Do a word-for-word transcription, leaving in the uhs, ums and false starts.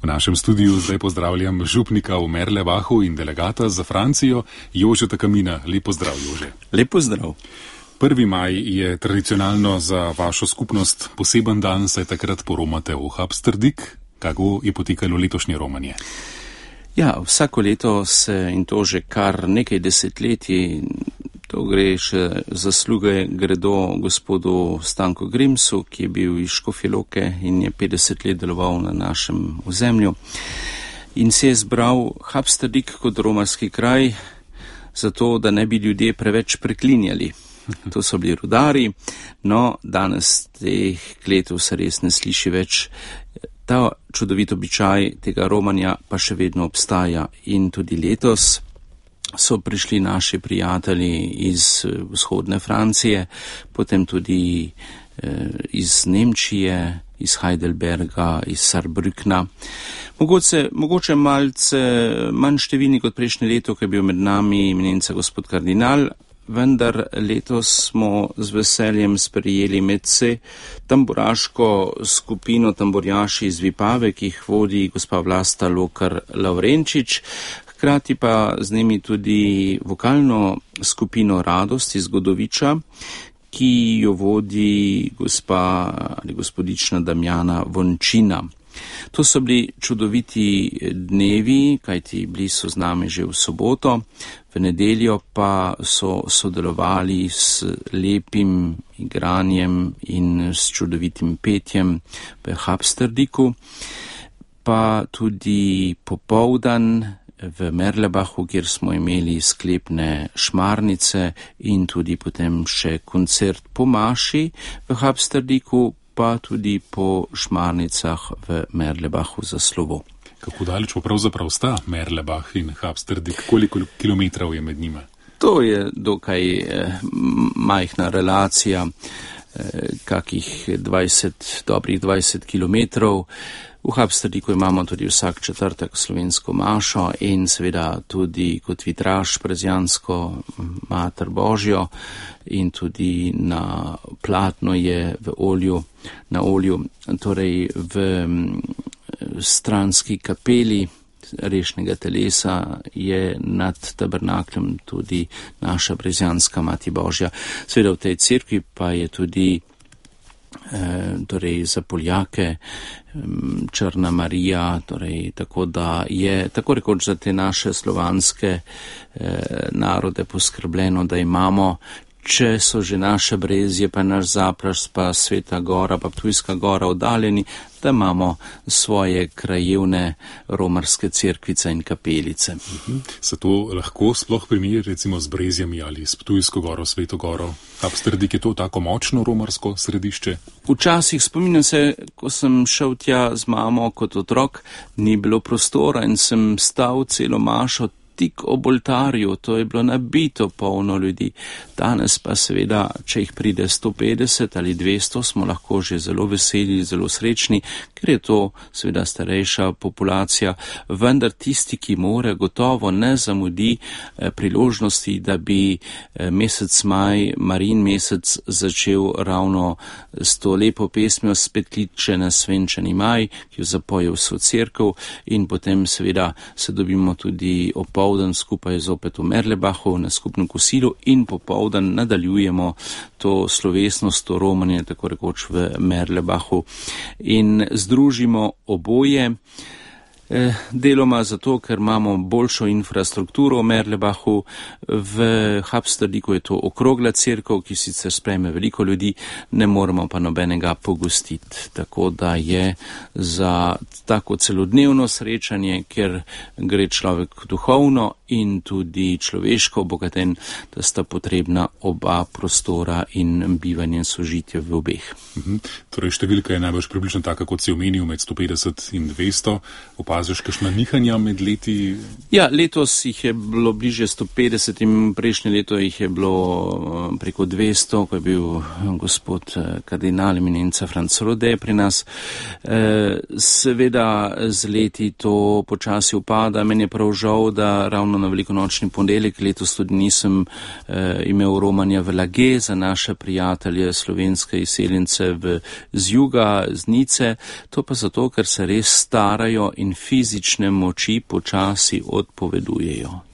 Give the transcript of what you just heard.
V našem studiu zdaj pozdravljam župnika v Merlebachu in delegata za Francijo, Jožeta Kamina. Lep pozdrav, Jože. Lep pozdrav. prvi maj je tradicionalno za vašo skupnost poseben dan, saj takrat poromate v Habsterdik. Kako je potekalo letošnje romanje? Ja, vsako leto se, in to že kar nekaj desetletij, to gre še zasluge gredo gospodu Stanku Grimsu, ki je bil iz Škofje Loke in je petdeset let deloval na našem ozemlju. In se je zbral Habsterdik kot romarski kraj, zato da ne bi ljudje preveč preklinjali. To so bili rudari, no danes teh kletov se res ne sliši več. Ta čudovit običaj tega romanja pa še vedno obstaja in tudi letos so prišli naši prijatelji iz vzhodne Francije, potem tudi eh, iz Nemčije, iz Heidelberga, iz Saarbrückna. Mogoče, mogoče malce manj številni kot prejšnje leto, ko je bil med nami eminenca gospod kardinal, vendar letos smo z veseljem sprejeli medse tamburaško skupino tamburjaši iz Vipave, ki jih vodi gospa Vlasta Lokar Lavrenčič, hkrati pa z njimi tudi vokalno skupino Radost iz Godoviča, ki jo vodi gospa ali gospodična Damjana Vončina. To so bili čudoviti dnevi, kajti bili so z nami že v soboto, v nedeljo pa so sodelovali s lepim igranjem in s čudovitim petjem v Habsterdiku, pa tudi popoldan v Merlebachu, kjer smo imeli sklepne šmarnice in tudi potem še koncert po maši v Habsterdiku, pa tudi po šmarnicah v Merlebachu za slovo. Kako daleč pa pravzaprav sta Merlebach in Habsterdik? Koliko kilometrov je med njima? To je dokaj eh, majhna relacija, eh, kakih dvajset, dobrih dvajset kilometrov. V Habsterdiku imamo tudi vsak četrtek slovensko mašo in seveda tudi kot vitraž prezjansko Mater Božjo in tudi na platno je v olju, na olju, torej v stranski kapeli rešnega telesa je nad tabernaklem tudi naša prezjanska Mati Božja. Seveda v tej cerkvi pa je tudi torej za Poljake Črna Marija, torej tako da je tako rekoč za te naše slovanske eh, narode poskrbljeno, da imamo, če so že naše Brezje, pa naš Zapras, pa Sveta Gora, pa Ptujska Gora oddaljeni, da imamo svoje krajevne romarske cerkvice in kapelice. Mhm. Se to lahko sploh primeri recimo z Brezjami ali s Ptujsko Goro, Sveto Goro? Habsterdik je to tako močno romarsko središče? Včasih spominjam se, ko sem šel tja z mamo kot otrok, ni bilo prostora in sem stal celo mašo tik ob oltarju, to je bilo nabito polno ljudi. Danes pa seveda, če jih pride sto petdeset ali dvesto, smo lahko že zelo veseli, zelo srečni, ker je to seveda starejša populacija, vendar tisti, ki more, gotovo ne zamudi eh, priložnosti, da bi eh, mesec maj, Marin mesec, začel ravno s to lepo pesmijo Spet kliče na svenčani maj, ki jo zapoje vso cerkev in potem seveda se dobimo tudi opoldan skupaj zopet v Merlebachu na skupnem kosilu in popoldan nadaljujemo to slovesnost, to romanje, tako rekoč v Merlebachu in združimo oboje. Deloma zato, ker imamo boljšo infrastrukturo v Merlebachu, v Habsterdiku je to okrogla cerkev, ki sicer sprejme veliko ljudi, ne moremo pa nobenega pogostiti. Tako da je za tako celodnevno srečanje, ker gre človek duhovno in tudi človeško obogaten, da sta potrebna oba prostora in bivanje in sožitje v obeh. Mhm. Torej številka je najbolj približno taka, kot si omenil, med sto petdeset in dvesto. Opazili opaziš kakšna nihanja med leti? Ja, letos jih je bilo bliže sto petdeset in prejšnje leto jih je bilo preko dvesto, ko je bil gospod kardinal eminenca Franc Rode pri nas. Seveda z leti to počasi upada. Meni je prav žal, da ravno na velikonočni ponedeljek letos tudi nisem imel romanja v Lage za naše prijatelje slovenske izseljence v, z juga, z Nice. To pa zato, ker se res starajo in fizične moči počasi odpovedujejo.